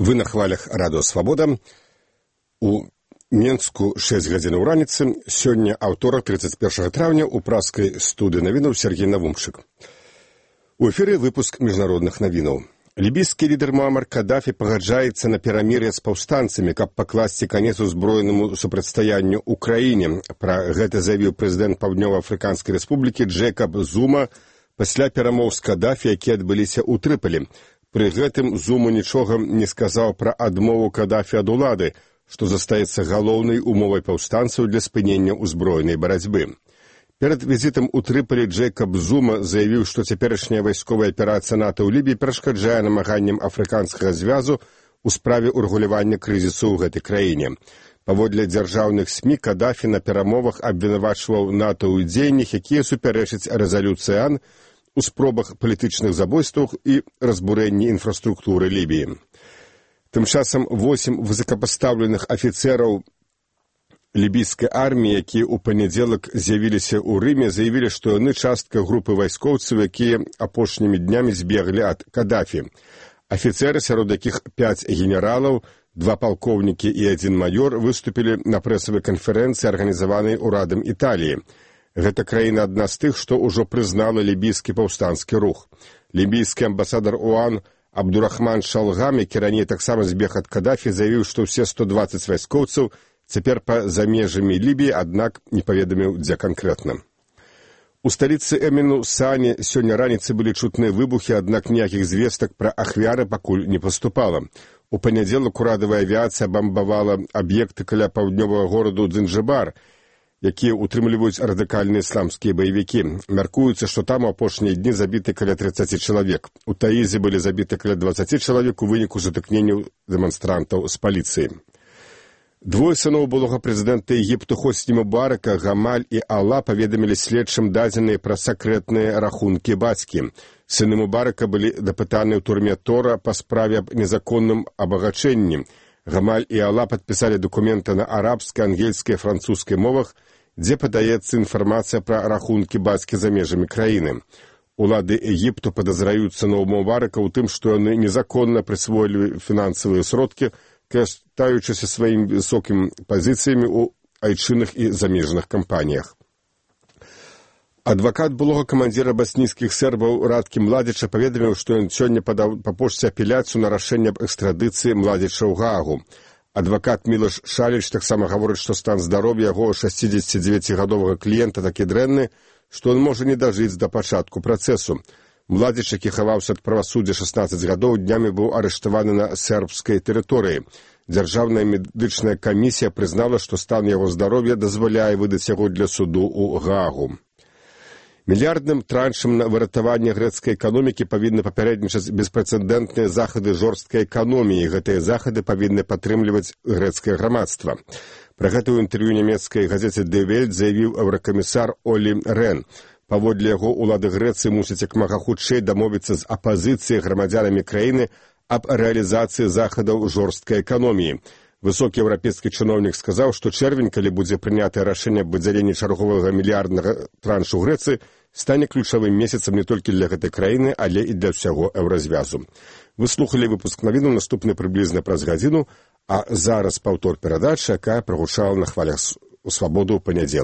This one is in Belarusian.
Вы на хвалях радыё Свабода. У Менску 6 гадзінаў раніцы. Сёння аўторак 31 траўня у праскай студыі навінаў Сергей Навумчык. У эфіры выпуск міжнародных навінаў. Лібійскі лідар Муамар Кадафі пагаджаецца на перамір'е з паўстанцамі, каб пакласці канец узброенаму супрацьстаянню ўкраіне. Пра гэта заявіў прэзідэнт Паўднёва-Афрыканскай рэспублікі Джэйкаб Зума пасля перамоў з Кадафі, якія адбыліся ў Трыполі. Пры гэтым Зума нічога не сказаў пра адмову Кадафі ад улады, што застаецца галоўнай умовай паўстанцаў для спынення ўзброенай барацьбы. Перад візітам у Трыполі Джэйкаб Зума заявіў, што цяперашняя вайсковая аперацыя НАТО ў Лібіі перашкаджае намаганням афрыканскага звязу ў справе урэгулявання крызісу ў гэтай краіне. Паводле дзяржаўных СМІ Кадафі на перамовах абвінавачваў НАТО ў дзеяннях, якія супярэчаць рэзалюцыі АН у спробах палітычных забойствах і разбурэнні інфраструктуры Лібіі. Тым часам 8 высокапастаўленых афіцэраў лібійскай арміі, якія ў панядзелак з'явіліся ў Рыме, заявілі, што яны частка групы вайскоўцаў, якія апошнімі днямі збеглі ад Кадафі. Афіцэры, сярод якіх 5 генералаў, 2 палкоўнікі і 1 маёр, выступілі на прэсавай канферэнцыі, арганізаванай урадам Італіі. Гэта краіна адна з тых, што ўжо прызнала лібійскі паўстанскі рух. Лібійскі амбасадар ОАН Абдурахман Шалгам, які раней таксама збег ад Кадафі, заявіў, што ўсе 120 вайскоўцаў цяпер па-за межамі Лібіі, аднак не паведаміў, дзе канкрэтна. У сталіцы Эміну Сане сёння раніцы былі чутныя выбухі, аднак ніякіх звестак пра ахвяры пакуль не паступала. У панядзелак урадавая авіяцыя бамбавала аб'екты каля паўднёвага гораду Дзенджыбар, якія утрымліваюць радыкальныя ісламскія баевікі. Мяркуецца, што там у апошнія дні забіты каля 30 чалавек. У Таізе былі забіты каля 20 чалавек у выніку сутыкненняў дэманстрантаў з паліцыяй. Двое сыноў былога прэзідэнта Егіпту Хосні Мубарака, Гамаль і Алла, паведамілі следчым дадзеныя пра сакрэтныя рахункі бацькі. Сыны Мубарака былі дапытаныя ў турме Тора па справе аб незаконным абагачэнні. Гамаль і Алла падпісалі дакументы на арабскай, ангельскай і французскай мовах, дзе падаецца інфармацыя пра рахункі бацькі за межамі краіны. Улады Егіпту падазраюць сыноў Мубарака ў тым, што яны незаконна прысвоілі фінансавыя сродкі, карыстаючыся сваімі высокімі пазіцыямі ў айчынных і замежных кампаніях. Адвакат былога камандзіра баснійскіх сербаў Радкі Младзіча паведаміў, што ён сёння падаў па пошце апеляцыю на рашэнне аб экстрадыцыі Младзіча ў Гаагу. Адвакат Мілаш Шаліч таксама гаворыць, што стан здароўя яго 69-гадовага кліента такі дрэнны, што ён можа не дажыць да пачатку працэсу. Младзіч, які хаваўся ад правасуддзя 16 гадоў, днямі быў арыштаваны на сербскай тэрыторыі. Дзяржаўная медычная камісія прызнала, што стан яго здароўя дазваляе выдаць яго для суду ў Гаагу. Мільярдным траншам на выратаванне грэцкай эканомікі павінны папярэднічаць беспрэцэдэнтныя захады жорсткай эканоміі. Гэтыя захады павінны падтрымліваць грэцкае грамадства. Пра гэта ў інтэрв'ю нямецкай газеце «Die Welt» заявіў еўракамісар Олі Рен. Паводле яго, улады Грэцыі мусяць як мага хутчэй дамовіцца з апазіцыяй грамадзянамі краіны аб рэалізацыі захадаў жорсткай эканоміі. Высокі еўрапейскі чыноўнік сказаў, што чэрвень, калі будзе прынятае рашэнне аб выдзяленні чарговага мільярднага траншу Грэцыі, стане ключавым месяцам не толькі для гэтай краіны, але і для ўсяго еўразвязу. Вы слухалі выпуск навінаў, наступны прыблізна праз гадзіну, а зараз паўтор перадачы, якая прагучала на хвалях у Свабоду ў панядзелак.